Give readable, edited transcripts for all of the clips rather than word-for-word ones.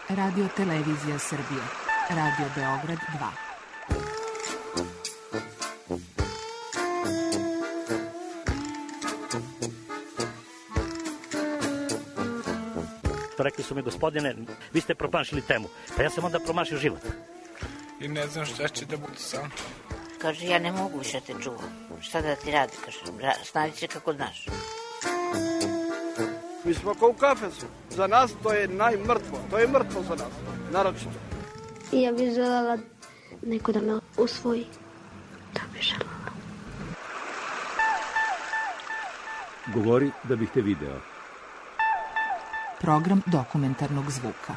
Radio Televizija Srbije. Radio Beograd 2. Rekli su mi, gospodine, vi ste promašili temu. Pa ja sam onda promašio život. I ne znam šta će da bude sam. Kaže, ja ne mogu više te čuvam. Šta da ti radi, kaže, snađi se kako znaš. Mi smo kao u kafesu. Za nas to je najmrtvo. To je mrtvo za nas, naročito. I ja bih želela neko da me usvoji. Da bih želela. Govori da bih te video. Program dokumentarnog zvuka.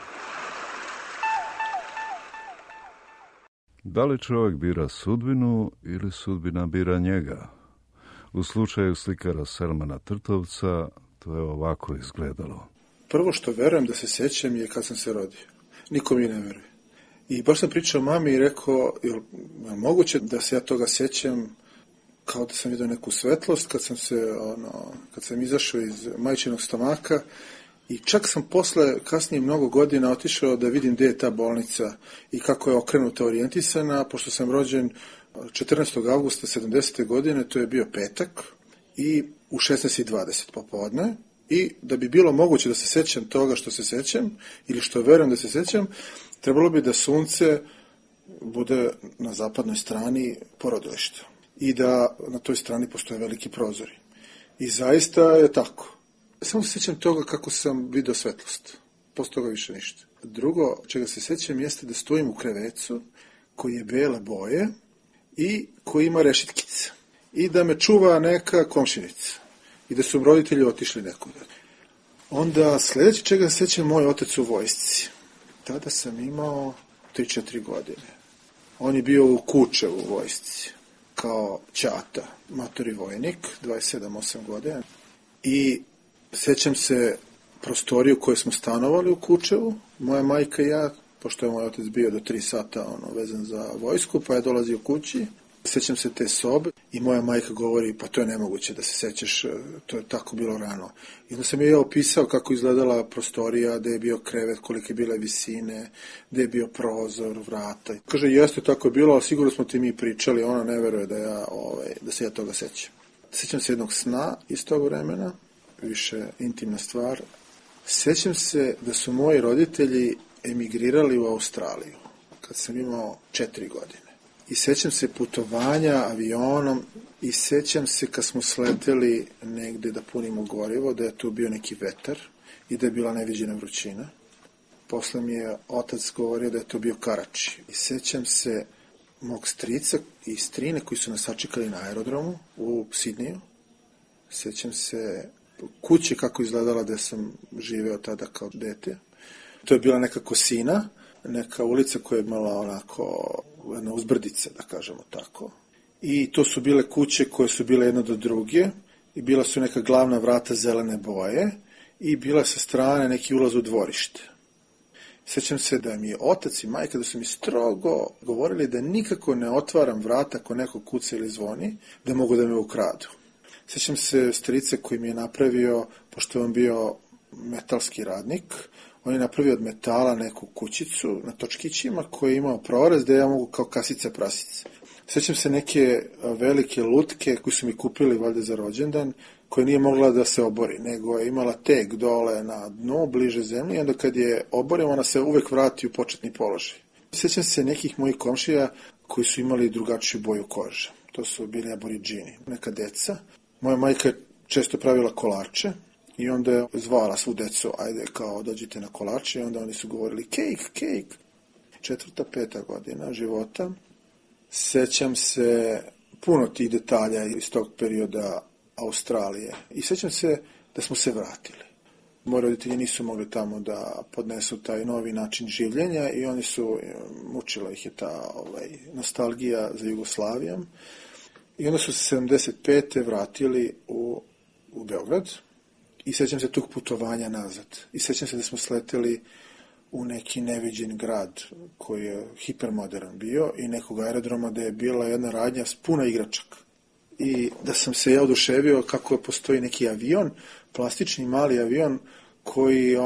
Da li čovjek bira sudbinu ili sudbina bira njega? U slučaju slikara Selmana Trtovca to je ovako izgledalo. Prvo što verujem da se sjećam je kad sam se rodio. Niko mi ne veruje. I baš sam pričao mami i rekao, je moguće da se ja toga sjećam kao da sam vidio neku svetlost kad sam izašao iz majčinog stomaka. I čak sam kasnije mnogo godina otišao da vidim gdje je ta bolnica i kako je okrenuta, orijentisana, pošto sam rođen 14. augusta 70. godine, to je bio petak, i u 16:20 popodne. I da bi bilo moguće da se sjećam toga što se sjećam, ili što verujem da se sjećam, trebalo bi da sunce bude na zapadnoj strani porodilišta i da na toj strani postoje veliki prozori. I zaista je tako. Samo se sjećam toga kako sam vidio svetlost. Posle toga više ništa. Drugo, čega se sjećam, jeste da stojim u krevecu koji je bele boje i koji ima rešitkice. I da me čuva neka komšinica. I da su roditelji otišli nekuda. Onda sljedeće čega se sjećam, moj otac u vojsci. Tada sam imao 3-4 godine. On je bio u Kučevu u vojsci. Kao ćata, matori vojnik, 27-8 godina. I sjećam se prostoriju koju smo stanovali u Kučevu, moja majka i ja, pošto je moj otac bio do 3 sata vezan za vojsku, pa je dolazio kući. Sjećam se te sobe i moja majka govori, pa to je nemoguće da se sjećaš, to je tako bilo rano. I onda sam je opisao kako izgledala prostorija, gdje je bio krevet, kolike bile visine, gdje je bio prozor, vrata. Kaže, jeste, tako je bilo, ali sigurno smo ti mi pričali, ona ne veruje da se ja toga sjećam. Sjećam se jednog sna iz tog vremena, više intimna stvar. Sjećam se da su moji roditelji emigrirali u Australiju kad sam imao 4 godine. I sjećam se putovanja avionom i sjećam se kad smo sleteli negdje da punimo gorivo, da je tu bio neki vetar i da je bila neviđena vrućina. Posle mi je otac govorio da je to bio Karači. I sjećam se mog strica i strine koji su nas sačekali na aerodromu u Sidniju. Sjećam se kuće kako izgledala da sam živeo tada kao dete. To je bila neka Kosina, neka ulica koja je imala onako jedna uzbrdica, da kažemo tako. I to su bile kuće koje su bile jedna do druge i bila su neka glavna vrata zelene boje i bila sa strane neki ulaz u dvorište. Sjećam se da mi je otac i majka da su mi strogo govorili da nikako ne otvaram vrata ako neko kuca ili zvoni, da mogu da me ukradu. Sjećam se strice koji mi je napravio, pošto je on bio metalski radnik, on je napravio od metala neku kućicu na točkićima koji je imao prorez da ja mogu kao kasica prasice. Sjećam se neke velike lutke koje su mi kupili valjda za rođendan, koja nije mogla da se obori, nego je imala teg dole na dnu, bliže zemlji, i onda kad je oborim, ona se uvek vrati u početni položaj. Sjećam se nekih mojih komšija koji su imali drugačiju boju kože. To su bili aboridžini, neka deca. Moja majka je često pravila kolače i onda je zvala svu decu, ajde kao dođite na kolače, i onda oni su govorili kejk. 4., 5. godina života. Sjećam se puno tih detalja iz tog perioda Australije i sjećam se da smo se vratili. Moji roditelji nisu mogli tamo da podnesu taj novi način življenja i oni su, mučila ih je ta nostalgija za Jugoslavijom. I onda su se 75. vratili u Beograd i sjećam se tog putovanja nazad. I sjećam se da smo sleteli u neki neviđen grad koji je hipermodern bio i nekog aerodroma da je bila jedna radnja s puna igračaka. I da sam se ja oduševio kako postoji neki avion, plastični mali avion koji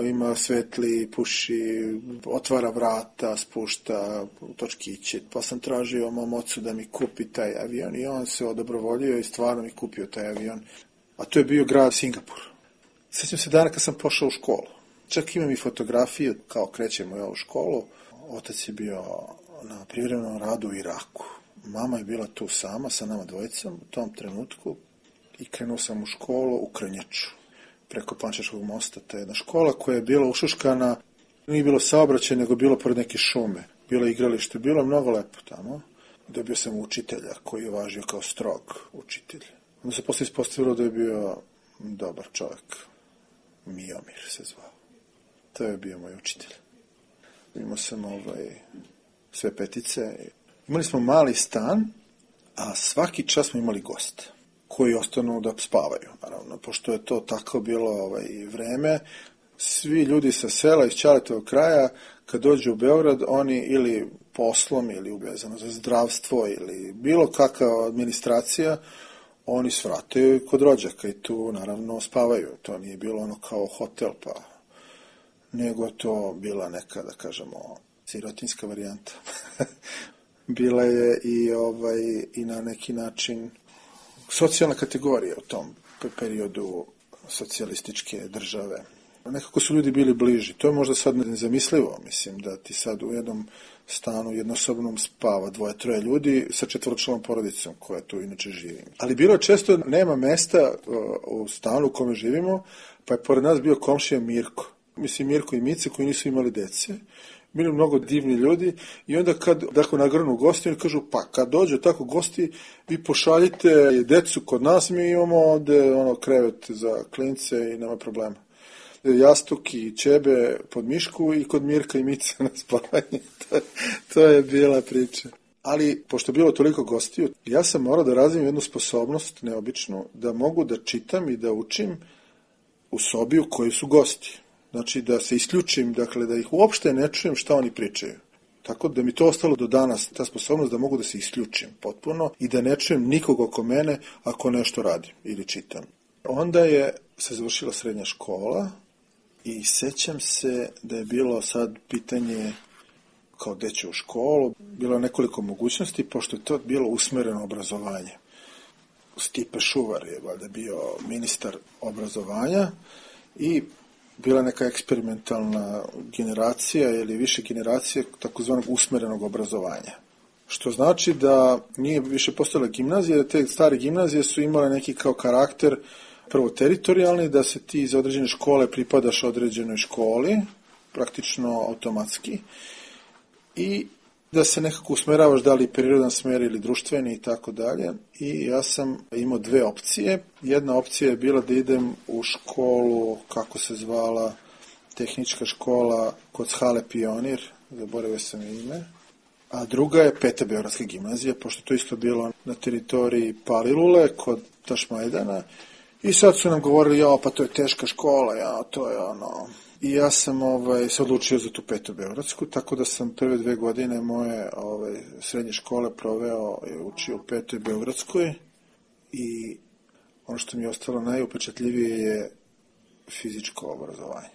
ima svetli, puši, otvara vrata, spušta točkiće. Pa sam tražio mom ocu da mi kupi taj avion i on se odobrovoljio i stvarno mi kupio taj avion. A to je bio grad Singapur. Sjećam se dana kad sam pošao u školu. Čak imam i fotografije kao krećemo u školu. Otac je bio na privremenom radu u Iraku. Mama je bila tu sama sa nama dvojicom u tom trenutku i krenuo sam u školu u Krnjaču. Preko Pančeškog mosta. To je jedna škola koja je bila ušuškana, nije bilo saobraćaj, nego bilo pored neke šume. Bilo igralište, bilo mnogo lepo tamo. Dobio sam učitelja koji je važio kao strog učitelj. Onda se posle ispostavilo da je bio dobar čovjek. Miomir se zvao. To je bio moj učitelj. Imao sam sve petice. Imali smo mali stan, a svaki čas smo imali goste koji ostanu da spavaju, naravno, pošto je to tako bilo vreme. Svi ljudi sa sela iz Ćaletovog kraja, kad dođu u Beograd, oni ili poslom, ili uvezano za zdravstvo, ili bilo kakva administracija, oni svrataju kod rođaka i tu, naravno, spavaju. To nije bilo ono kao hotel, pa nego to bila neka, da kažemo, sirotinska varijanta. Bila je i na neki način socijalna kategorija u tom periodu socijalističke države. Nekako su ljudi bili bliži. To je možda sad nezamislivo, mislim, da ti sad u jednom stanu jednosobnom spava 2-3 ljudi sa 4-članom porodicom koja tu inače živi. Ali bilo često nema mesta u stanu u kome živimo, pa je pored nas bio komšija Mirko. Mislim, Mirko i Mice koji nisu imali dece. Bili mnogo divni ljudi i onda kad nagrnu gosti, oni kažu, pa kad dođu tako gosti, vi pošaljite decu kod nas, mi imamo ovde krevet za klince i nema problema. Jastuk i ćebe pod mišku i kod Mirka i Mice na spavanje. To je bila priča. Ali, pošto je bilo toliko gostiju, ja sam morao da razvijem jednu sposobnost neobičnu, da mogu da čitam i da učim u sobi u kojoj su gosti. Znači, da se isključim, dakle, da ih uopšte ne čujem šta oni pričaju. Tako da mi to ostalo do danas, ta sposobnost da mogu da se isključim potpuno i da ne čujem nikog oko mene ako nešto radim ili čitam. Onda je se završila srednja škola i sećam se da je bilo sad pitanje kao gde ću u školu. Bilo je nekoliko mogućnosti, pošto je to bilo usmereno obrazovanje. Stipe Šuvar je valjda bio ministar obrazovanja i bila neka eksperimentalna generacija ili više generacije takozvanog usmerenog obrazovanja. Što znači da nije više postojala gimnazija, da te stare gimnazije su imale neki kao karakter prvo teritorijalni, da se ti iz određene škole pripadaš određenoj školi, praktično automatski, i da se nekako usmeravaš da li prirodan smer ili društveni i tako dalje. I ja sam imao 2 opcije. Jedna opcija je bila da idem u školu, kako se zvala, tehnička škola kod Hale Pionir, zaboravio sam ime. A druga je 5. Beogradska gimnazija, pošto to isto bilo na teritoriji Palilule, kod Tašmajdana. I sad su nam govorili, pa to je teška škola, to je I ja sam se odlučio za tu 5. Beogradsku, tako da sam prve 2 godine moje srednje škole proveo i učio u 5. Beogradskoj. I ono što mi je ostalo najupečatljivije je fizičko obrazovanje.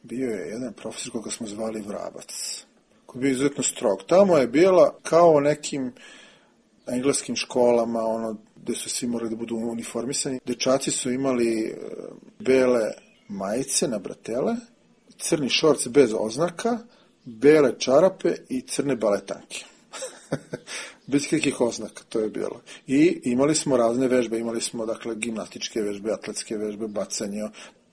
Bio je jedan profesor koga smo zvali Vrabac, koji je bio izuzetno strog. Tamo je bila kao u nekim engleskim školama, gde su svi morali da budu uniformisani. Dečaci su imali bele majice na bratele, crni šorc bez oznaka, bele čarape i crne baletanke. Bez kakvih oznaka, to je bilo. I imali smo razne vežbe, imali smo, dakle, gimnastičke vežbe, atletske vežbe, bacanje.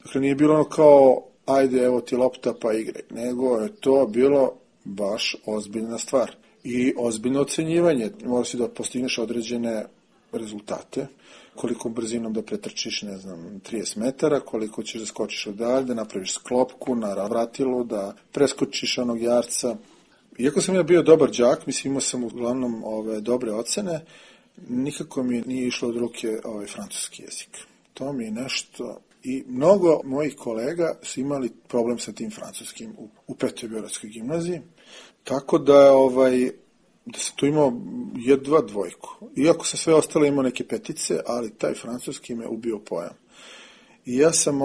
Dakle, nije bilo ono kao, ajde, evo ti lopta pa igraj, nego je to bilo baš ozbiljna stvar. I ozbiljno ocenjivanje. Mora si da postigneš određene rezultate, koliko brzinom da pretrčiš, 30 metara, koliko ćeš da skočiš odalje, da napraviš sklopku na vratilu, da preskočiš onog jarca. Iako sam ja bio dobar đak, mislim, imao sam uglavnom dobre ocene, nikako mi nije išlo od ruke francuski jezik. To mi je nešto. I mnogo mojih kolega su imali problem sa tim francuskim u 5. Beogradskoj gimnaziji, tako da da sam tu imao jedva 2. Iako sam sve ostalo imao neke petice, ali taj francuski me ubio pojam. I ja sam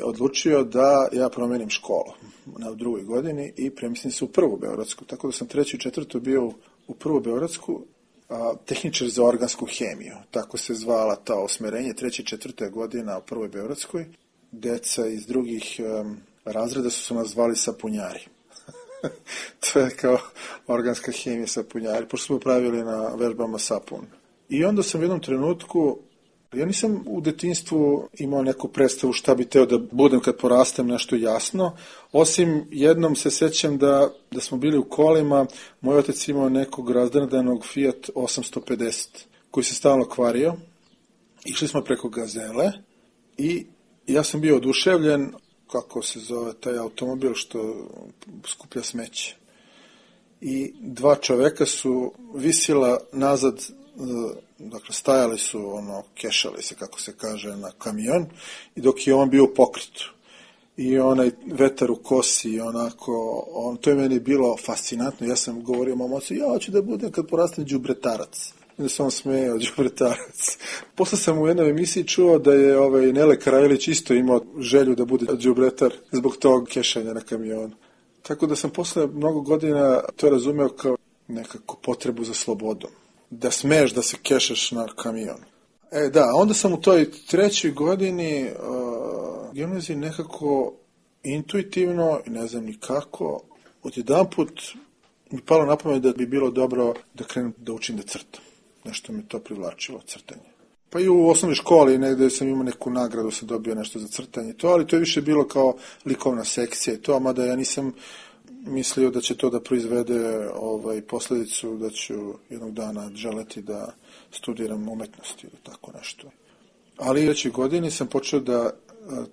odlučio da ja promenim školu na drugoj godini i premislim se u prvu beogradsku. Tako da sam 3. i 4. bio u prvu beogradsku, tehničar za organsku hemiju. Tako se zvala ta osmerenje, 3. i 4. godina u prvoj beogradskoj. Deca iz drugih razreda su nas zvali sapunjari. To je kao organska hemija sapunjari, pošto smo pravili na vežbama sapun. I onda sam u jednom trenutku, ja nisam u detinjstvu imao neku predstavu šta bi teo da budem kad porastem, nešto jasno, osim jednom se sećam da smo bili u kolima, moj otac imao nekog razdradanog Fiat 850 koji se stalno kvario, išli smo preko Gazele i ja sam bio oduševljen, kako se zove taj automobil što skuplja smeće. I 2 čoveka su visila nazad, dakle stajali su, kešali se, kako se kaže, na kamion, i dok je on bio pokrit. I onaj vetar u kosi, to je meni bilo fascinantno. Ja sam govorio mom ocu, ja hoću da budem kad porastem đubretarac. I da se on smejao, đubretarac. Posle sam u jednoj emisiji čuo da je Nele Karajlić isto imao želju da bude đubretar zbog tog kešanja na kamionu. Tako da sam posle mnogo godina to razumeo kao nekako potrebu za slobodom. Da smeš da se kešaš na kamion. Onda sam u toj 3. godini gimnaziji nekako intuitivno, i ne znam ni kako, odjedanput mi palo na pamet da bi bilo dobro da krenem da učim da crtam. Nešto mi to privlačilo, crtanje. Pa i u osnovnoj školi negde sam imao neku nagradu, sam dobio nešto za crtanje, ali to je više bilo kao likovna sekcija i to, mada ja nisam mislio da će to da proizvede posledicu da ću jednog dana želeti da studiram umetnosti ili tako nešto. Ali u 3. godini sam počeo da,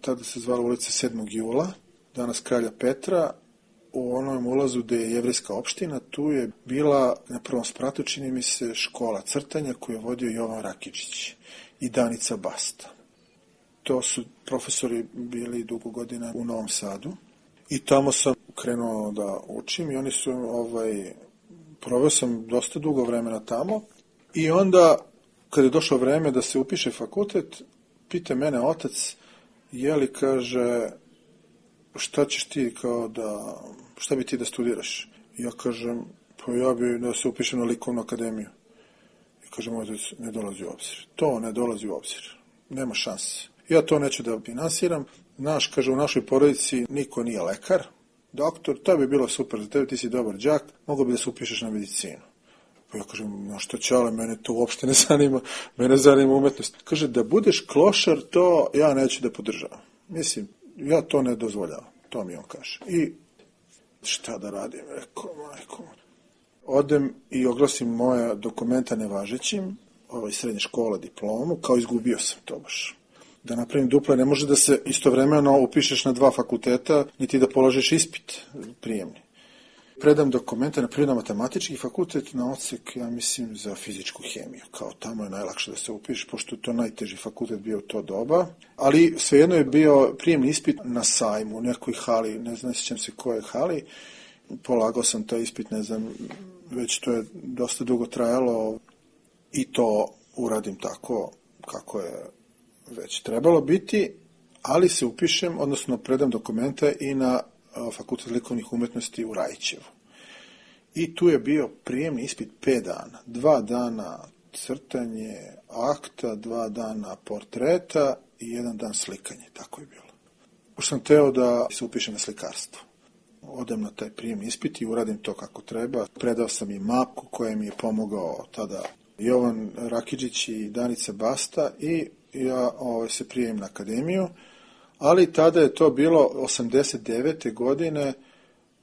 tada se zvala ulica 7. jula, danas Kralja Petra, u onom ulazu gde je jevrejska opština, tu je bila na prvom spratu, čini mi se, škola crtanja koju je vodio Jovan Rakičić i Danica Basta. To su profesori bili dugo godina u Novom Sadu i tamo sam krenuo da učim i oni su, proveo sam dosta dugo vremena tamo i onda, kad je došlo vreme da se upiše fakultet, pita mene otac, kaže, šta ćeš ti šta bi ti da studiraš? Ja kažem, pa ja bi da se upišem na likovnu akademiju. I kažem, otac, ne dolazi u obzir. To ne dolazi u obzir. Nema šanse. Ja to neću da finansiram. Kaže, u našoj porodici niko nije lekar, doktor, to bi bilo super za tebe, ti si dobar đak, mogo bi da se upišeš na medicinu. Pa ja kažem, no što će, ali mene to uopšte ne zanima, mene zanima umetnost. Kaže, da budeš klošar, to ja neću da podržavam. Mislim, ja to ne dozvoljavam, to mi on kaže. I šta da radim, rekao, majko. Odem i oglasim moja dokumenta nevažećim, srednje škola, diplomu, kao izgubio sam to baš. Da napravim duple, ne može da se istovremeno upišeš na 2 fakulteta, niti da polažeš ispit prijemni. Predam dokumenta na prirodno-matematički fakultet, na odsek, ja mislim, za fizičku hemiju. Kao tamo je najlakše da se upišeš, pošto je to najteži fakultet bio u to doba. Ali svejedno je bio prijemni ispit na sajmu, u nekoj hali, ne znam, sjećam se koje hali. Polagao sam taj ispit, ne znam, već to je dosta dugo trajalo i to uradim tako kako je već trebalo biti, ali se upišem, odnosno predam dokumenta i na Fakultet likovnih umetnosti u Rajićevu. I tu je bio prijemni ispit 5 dana. 2 dana crtanje akta, 2 dana portreta i 1 dan slikanje. Tako je bilo. Pošto sam teo da se upišem na slikarstvo. Odem na taj prijemni ispit i uradim to kako treba. Predao sam i mapu koja mi je pomogao tada Jovan Rakičić i Danica Basta i ja se prijemim na akademiju. Ali tada je to bilo 89. godine,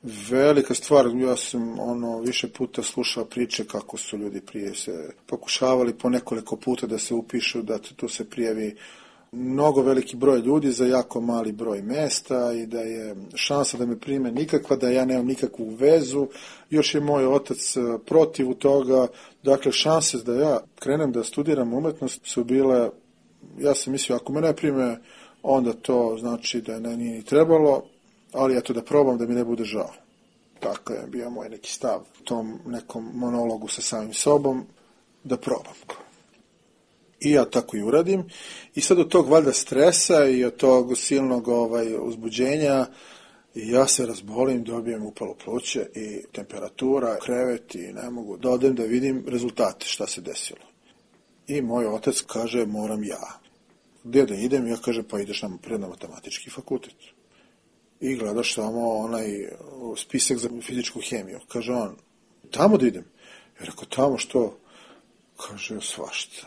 velika stvar. Ja sam više puta slušao priče kako su ljudi prije se pokušavali po nekoliko puta da se upišu, da tu se prijavi mnogo veliki broj ljudi za jako mali broj mesta i da je šansa da me prime nikakva, da ja nemam nikakvu vezu. Još je moj otac protiv toga. Dakle, šanse da ja krenem da studiram umetnost su bile, ja sam mislio, ako me ne prime, onda to znači da ne nije ni trebalo, ali eto da probam da mi ne bude žao. Tako je bio moj neki stav u tom nekom monologu sa samim sobom, da probam. I ja tako i uradim. I sad od tog valjda stresa i od tog silnog uzbuđenja ja se razbolim, dobijem upalo pluće i temperatura, krevet i ne mogu da odem da vidim rezultate šta se desilo. I moj otac kaže moram ja. Gdje da idem? Ja kažem pa ideš na prirodno-matematički fakultet. I gledaš samo onaj spisak za fizičku hemiju. Kaže on, tamo da idem? Ja rekao, tamo što? Kaže, svašta.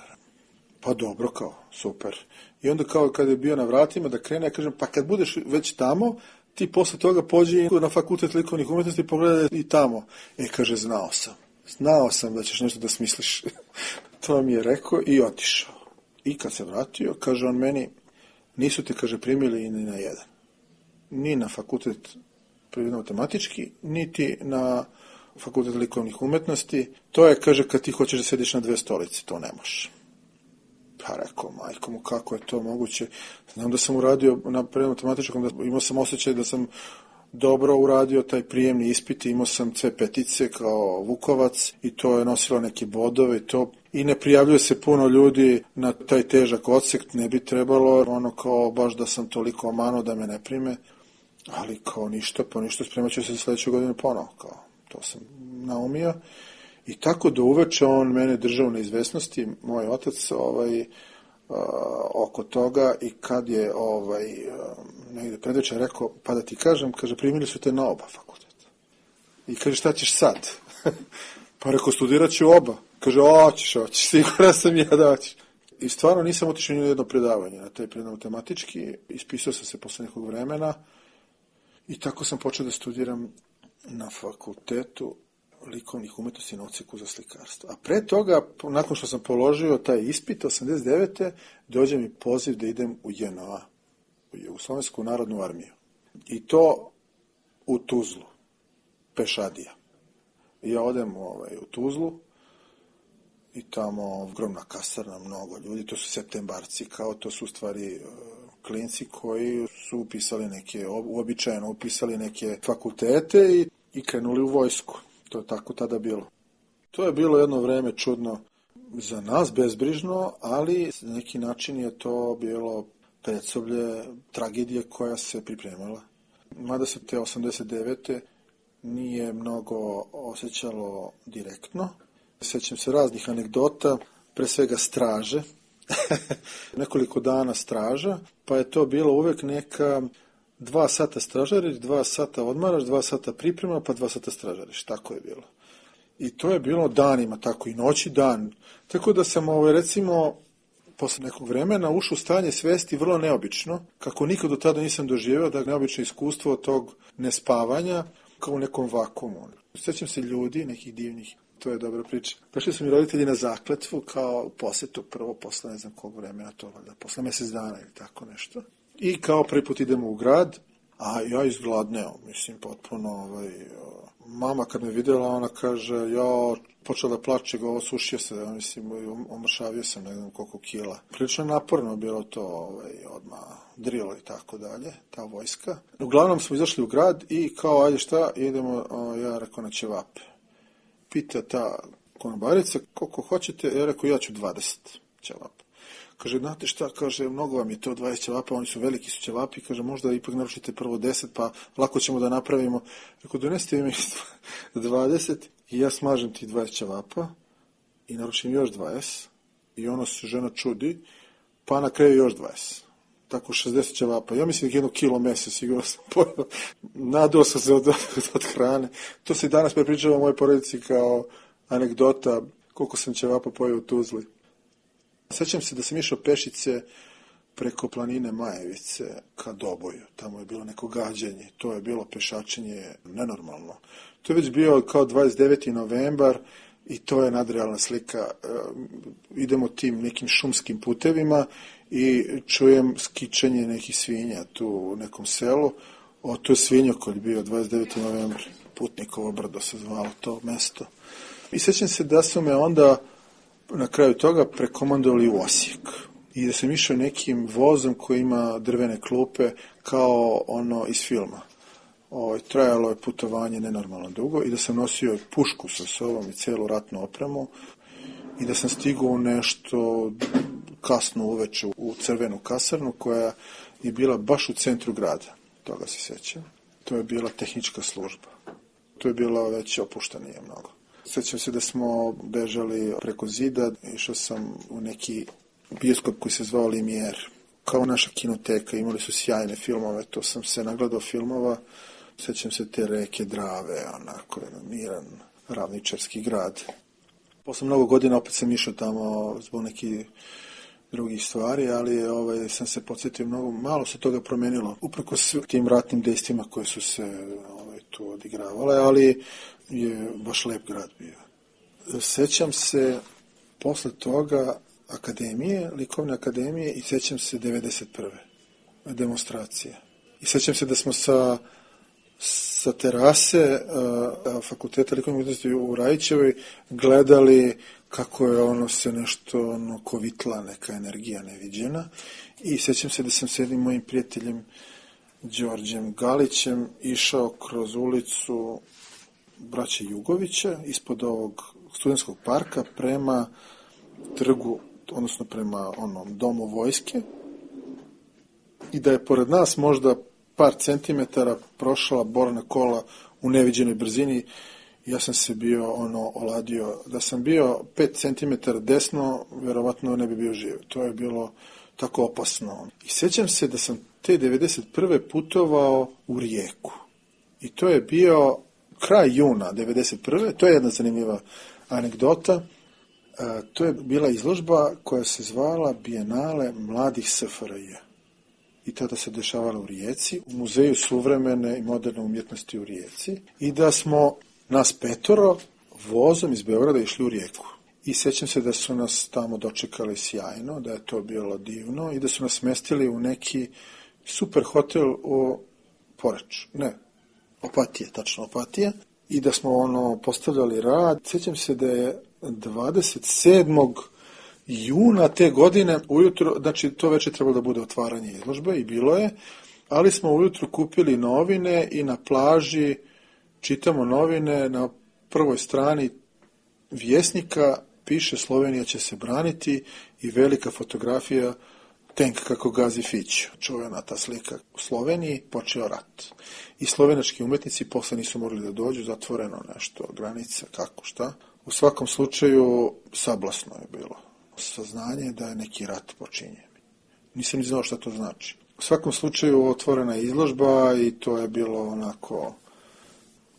Pa dobro, kao, super. I onda kao kad je bio na vratima da krene, ja kažem, pa kad budeš već tamo, ti posle toga pođi na fakultet likovnih umjetnosti i pogledaj i tamo. Kaže, znao sam da ćeš nešto da smisliš. To mi je rekao i otišao. I kad se vratio, kaže on meni, nisu te, kaže, primili ni na jedan. Ni na fakultet prirodno-matematički, niti na fakultet likovnih umjetnosti. To je, kaže, kad ti hoćeš da sediš na 2 stolice, to ne možeš. Pa rekao, majko mu, kako je to moguće? Znam da sam uradio na prirodno-matematičkom, imao sam osjećaj da sam dobro uradio taj prijemni ispit, imao sam sve petice kao Vukovac i to je nosilo neke bodove i ne prijavljuje se puno ljudi na taj težak odsek, ne bi trebalo, ono kao baš da sam toliko omano da me ne prime, ali kao ništa, spremat ću se sljedeće godine ponovo, kao to sam naumio. I tako do uveče on mene držao na izvesnosti, moj otac, oko toga i kad je negdje predvečer rekao, pa da ti kažem, kaže, primili su te na oba fakulteta. I kaže, šta ćeš sad? Pa rekao, studirat ću oba. Kaže, hoćeš, sigurno sam ja da hoćeš. I stvarno nisam otišao ni na jedno predavanje na taj prirodno-matematički, ispisao sam se posle nekog vremena i tako sam počeo da studiram na fakultetu likovnih umjetnosti na odseku za slikarstvo. A pre toga, nakon što sam položio taj ispit, 89. dođe mi poziv da idem u JNA, u Jugoslovensku narodnu armiju. I to u Tuzlu, pešadija. I ja odem u Tuzlu i tamo ogromna kasarna, mnogo ljudi, to su septembarci, kao to su u stvari klinci koji su upisali uobičajeno upisali neke fakultete i krenuli u vojsku. To je tako tada bilo. To je bilo jedno vreme čudno za nas, bezbrižno, ali na neki način je to bilo predsoblje tragedije koja se pripremala. Mada se te 89. nije mnogo osjećalo direktno. Sjećam se raznih anegdota, pre svega straže. Nekoliko dana straža, pa je to bilo uvek neka 2 sata stražariš, 2 sata odmaraš, 2 sata priprema, pa 2 sata stražariš. Tako je bilo. I to je bilo danima, tako i noći dan. Tako da sam, recimo, posle nekog vremena ušao u stanje svesti vrlo neobično, kako nikad do tada nisam doživio, da neobično iskustvo tog nespavanja, kao u nekom vakuumu. Sjećam se ljudi, nekih divnih, to je dobra priča. Došli su mi roditelji na zakletvu, kao posetu, prvo posle ne znam kog vremena, to valjda, posle mjesec dana ili tako nešto. I kao prvi put idemo u grad, a ja izgladneo, mislim, potpuno, mama kad me vidjela, ona kaže, ja počela da plače, osušio se, mislim, omršavio sam, ne znam koliko kila. Prilično naporno bilo to, odmah drilo i tako dalje, ta vojska. Uglavnom smo izašli u grad i kao, ajde šta, idemo, ja rekao, na ćevape. Pita ta konobarica, koliko hoćete, ja rekao, ja ću 20 ćevapa. Kaže, znate šta, kaže, mnogo vam je to 20 ćevapa, oni su veliki su ćevapi, kaže, možda ipak naručite prvo 10, pa lako ćemo da napravimo. Rekao, donesite mi 20 i ja smažem ti 20 ćevapa i naručim još 20 i ono se žena čudi, pa na kraju još 20. Tako 60 ćevapa. Ja mislim da je 1 kilo mesa, sigurno sam pojel. Nadao sam se od hrane. To se danas prepričava mojoj porodici kao anegdota koliko sam ćevapa pojeo u Tuzli. Sjećam se da sam išao pešice preko planine Majevice ka Doboju. Tamo je bilo neko gađanje. To je bilo pešačenje nenormalno. To je već bio kao 29. novembar i to je nadrealna slika. Idemo tim nekim šumskim putevima i čujem skičanje nekih svinja tu u nekom selu. To je svinjokolj bio 29. novembar. Putnikovo brdo se zvalo to mesto. I sjećam se da su me onda na kraju toga prekomandovali u Osijek. I da sam išao nekim vozom koji ima drvene klupe kao ono iz filma. Trajalo je putovanje nenormalno dugo i da sam nosio pušku sa sobom i celu ratnu opremu i da sam stigao u nešto kasno uveče u crvenu kasarnu koja je bila baš u centru grada. Toga se sjećam. To je bila tehnička služba. To je bilo već opuštenije mnogo. Sjećam se da smo bežali preko zida, išao sam u neki bioskop koji se zvao Limijer. Kao naša kinoteka, imali su sjajne filmove, to sam se nagledao filmova. Sjećam se te reke Drave, onako jedan miran ravničarski grad. Posle mnogo godina opet sam išao tamo zbog nekih drugih stvari, ali sam se podsjetio malo se toga promenilo. Uprkos tim ratnim dejstvima koje su se tu odigravale, ali je baš lep grad bio. Sećam se posle toga akademije, likovne akademije i sećam se 91. demonstracije. I sećam se da smo sa terase fakulteta likovne umetnosti u Rajićevoj gledali kako je se nešto kovitla, neka energija neviđena. I sećam se da sam s jednim mojim prijateljem Đorđem Galićem išao kroz ulicu braće Jugovića ispod ovog studentskog parka prema trgu, odnosno prema domu vojske, i da je pored nas možda par centimetara prošla borna kola u neviđenoj brzini. Ja sam se bio oladio. Da sam bio 5 centimetara desno, verovatno ne bi bio živ. To je bilo tako opasno. I sjećam se da sam te 91. putovao u Rijeku. I to je bio kraj juna 91. To je jedna zanimljiva anegdota. To je bila izložba koja se zvala Bijenale mladih SFRJ. I tada se dešavala u Rijeci, u Muzeju suvremene i moderne umjetnosti u Rijeci. I da smo nas 5 vozom iz Beograda išli u Rijeku. I sjećam se da su nas tamo dočekali sjajno, da je to bilo divno i da su nas smestili u neki super hotel u Poreču. Ne, Opatije, tačno Opatije. I da smo postavljali rad. Sjećam se da je 27. juna te godine ujutro, znači to večer trebalo da bude otvaranje izložbe i bilo je, ali smo ujutro kupili novine i na plaži čitamo novine, na prvoj strani Vjesnika piše Slovenija će se braniti i velika fotografija tenk kako gazi Fić. Čuvena ta slika. U Sloveniji počeo rat. I slovenački umetnici posle nisu mogli da dođu, zatvoreno nešto, granica, kako, šta. U svakom slučaju sablasno je bilo saznanje da je neki rat počinjen. Nisam ni znao šta to znači. U svakom slučaju otvorena je izložba i to je bilo onako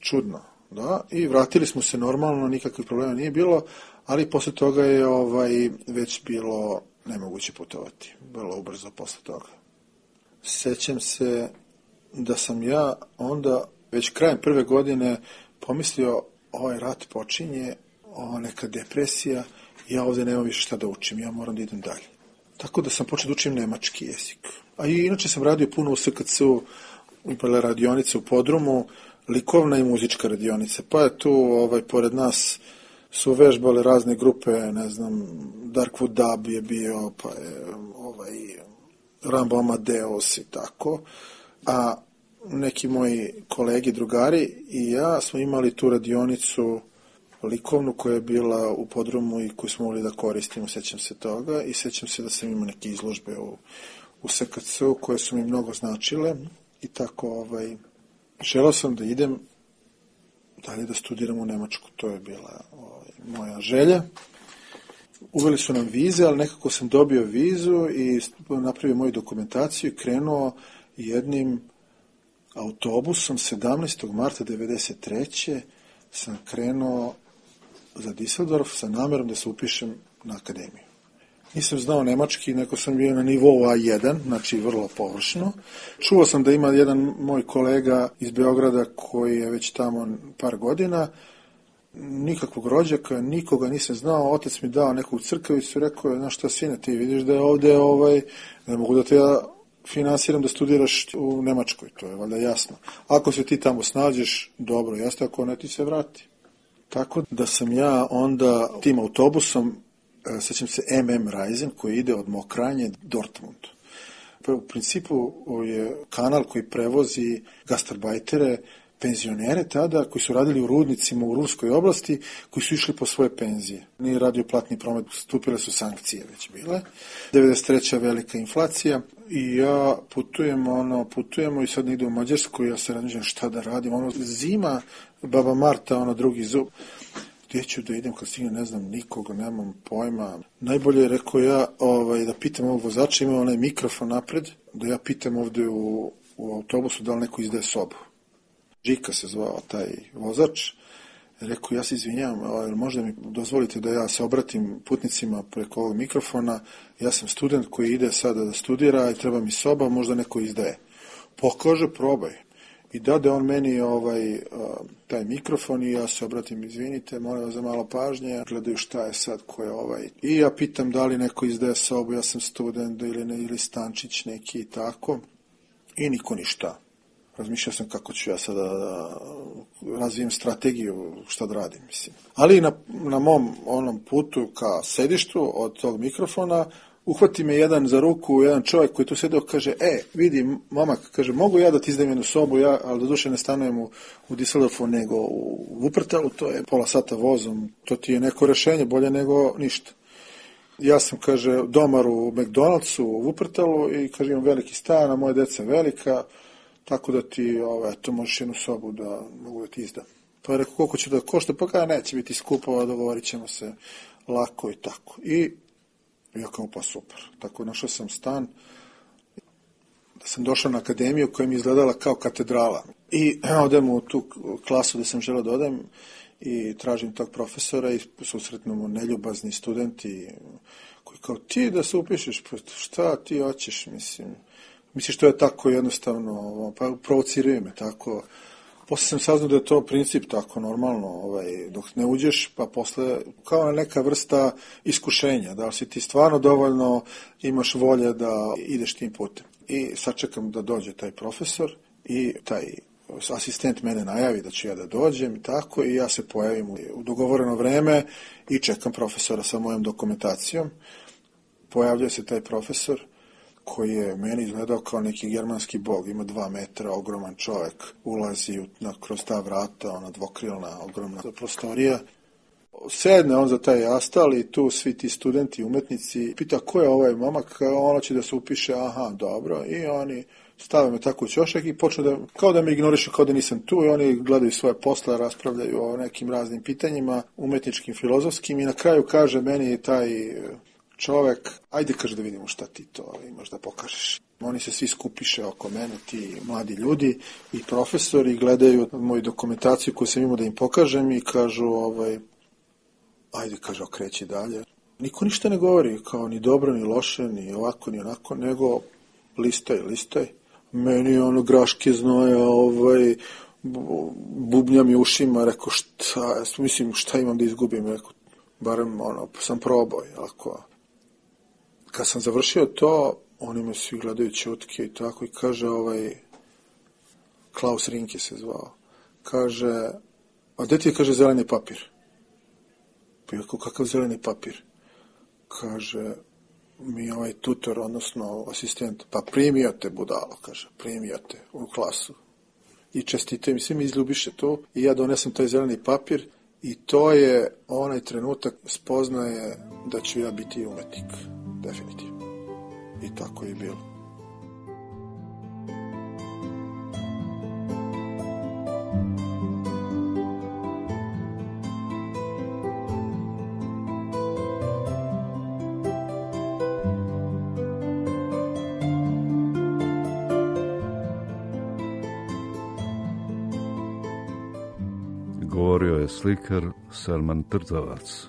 čudno. Da? I vratili smo se normalno, nikakvih problema nije bilo, ali posle toga je već bilo nemoguće putovati. Bilo ubrzo posle toga. Sećam se da sam ja onda već krajem prve godine pomislio ovaj rat počinje, ova neka depresija, ja ovdje nemam više šta da učim, ja moram da idem dalje. Tako da sam počeo da učim nemački jezik. A i inače sam radio puno u SKC-u, bila radionica u podrumu, likovna i muzička radionica. Pa je tu, pored nas su vežbale razne grupe, ne znam, Darkwood Dub je bio, pa je Rambo Amadeus i tako. A neki moji kolegi, drugari i ja smo imali tu radionicu likovnu koja je bila u podrumu i koju smo mogli da koristimo, sećam se toga i sećam se da sam imao neke izložbe u SKC-u koje su mi mnogo značile i tako želeo sam da idem dalje da studiram u Nemačku, to je bila moja želja. Uveli su nam vize, ali nekako sam dobio vizu i napravio moju dokumentaciju i krenuo jednim autobusom 17. marta 1993. sam krenuo za Düsseldorf sa namerom da se upišem na akademiju. Nisam znao nemački, neko sam bio na nivou A1, znači vrlo površno. Čuo sam da ima jedan moj kolega iz Beograda koji je već tamo par godina, nikakvog rođaka, nikoga nisam znao, otac mi dao neku crkavicu, rekao je, znaš šta sine, ti vidiš da je ovdje, ne mogu da te ja finansiram da studiraš u Nemačkoj, to je valjda jasno. Ako se ti tamo snađeš, dobro, jasno, ako ne, ti se vrati. Tako da sam ja onda tim autobusom, sećam se MM Reisen, koji ide od Mokranje Dortmund. U principu je kanal koji prevozi gastarbajtere penzionere tada koji su radili u rudnicima u Ruskoj oblasti, koji su išli po svoje penzije. Nije radio platni promet, stupile su sankcije već bile. 93. velika inflacija i ja putujemo i sad ide u Mađarsku i ja se razmišljam šta da radim. Zima, baba Marta, drugi zub. Gdje ću da idem kad stignem, ne znam nikoga, nemam pojma. Najbolje je, rekao ja, da pitam ovog vozača, ima onaj mikrofon napred, da ja pitam ovde u autobusu da li neko izdaje sobu. Žika se zvao taj vozač. Rekao, ja se izvinjam, možda mi dozvolite da ja se obratim putnicima preko ovog mikrofona. Ja sam student koji ide sada da studira i treba mi soba, možda neko izdaje. Pokaže, probaj. I dade on meni taj mikrofon i ja se obratim, izvinite, molim vas za malo pažnje, gledaju šta je sad, ko je I ja pitam da li neko izdaje sobu, ja sam student ili stančić neki i tako. I niko ništa. Razmišljao sam kako ću ja sada da razvijem strategiju šta da radim, mislim. Ali na mom onom putu ka sedištu od tog mikrofona uhvati me jedan za ruku, jedan čovjek koji tu sedeo, kaže, vidi, momak, kaže, mogu ja da ti izdajem jednu sobu, ali doduše ne stanujem u Düsseldorfu, nego u Wuppertalu, to je pola sata vozom, to ti je neko rešenje, bolje nego ništa. Ja sam, kaže, domar u McDonald'su u Wuppertalu i, kaže, imam veliki stan, a moje deca velika, tako da ti, to možeš jednu sobu da mogu da ti izdam. Pa je rekao, koliko će da košta, pa kada neće biti skupo, dogovorit ćemo se lako i tako. I ja kao, pa super. Tako našao sam stan, da sam došao na akademiju koja mi izgledala kao katedrala. I odem u tu klasu gde sam želeo da odem i tražim tog profesora i susretnu mu neljubazni studenti koji kao, ti da se upišeš, šta ti hoćeš, mislim. Misliš, to je tako jednostavno, pa provociraju me tako. Posle sam saznao da je to princip tako normalno, dok ne uđeš, pa posle kao neka vrsta iskušenja, da li si ti stvarno dovoljno imaš volje da ideš tim putem. I sačekam da dođe taj profesor i taj asistent mene najavi da ću ja da dođem i tako, i ja se pojavim u dogovoreno vreme i čekam profesora sa mojom dokumentacijom. Pojavljuje se taj profesor koji je meni izgledao kao neki germanski bog, ima 2 metra, ogroman čovjek, ulazi kroz ta vrata, dvokrilna, ogromna prostorija. Sedne on za taj astal i tu svi ti studenti, umetnici, pita ko je ovaj momak, ono će da se upiše, aha, dobro, i oni stave me tako u ćošak i počnu kao da me ignorišu, kao da nisam tu, i oni gledaju svoje posle, raspravljaju o nekim raznim pitanjima, umetničkim, filozofskim, i na kraju kaže meni taj čovek, ajde, kaže, da vidimo šta ti to imaš da pokažeš. Oni se svi skupiše oko mene, ti mladi ljudi i profesori, gledaju moju dokumentaciju koju sam imao da im pokažem i kažu, ajde, kaže, okreći dalje. Niko ništa ne govori, kao ni dobro, ni loše, ni ovako, ni onako, nego listaj. Meni graške znoja, bubnja mi ušima, rekao, šta imam da izgubim, rekao, barem, sam probao, ako. Kad sam završio to, oni me svi gledaju ćutke i tako, i kaže, Klaus Rinke se zvao, kaže, a gde ti je, kaže, zeleni papir? Pa je, kakav zeleni papir? Kaže, mi tutor, odnosno asistent, pa primio te, budalo, kaže, primio te u klasu. I čestite mi, svi mi izljubiše to, i ja donesem taj zeleni papir, i to je onaj trenutak spoznaje da ću ja biti umetnik. Definitivno. I tako je bilo. Govorio je slikar Selman Trtovac,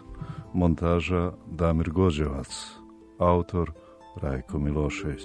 montaža Damir Gođevac, autor Rajko Milošević.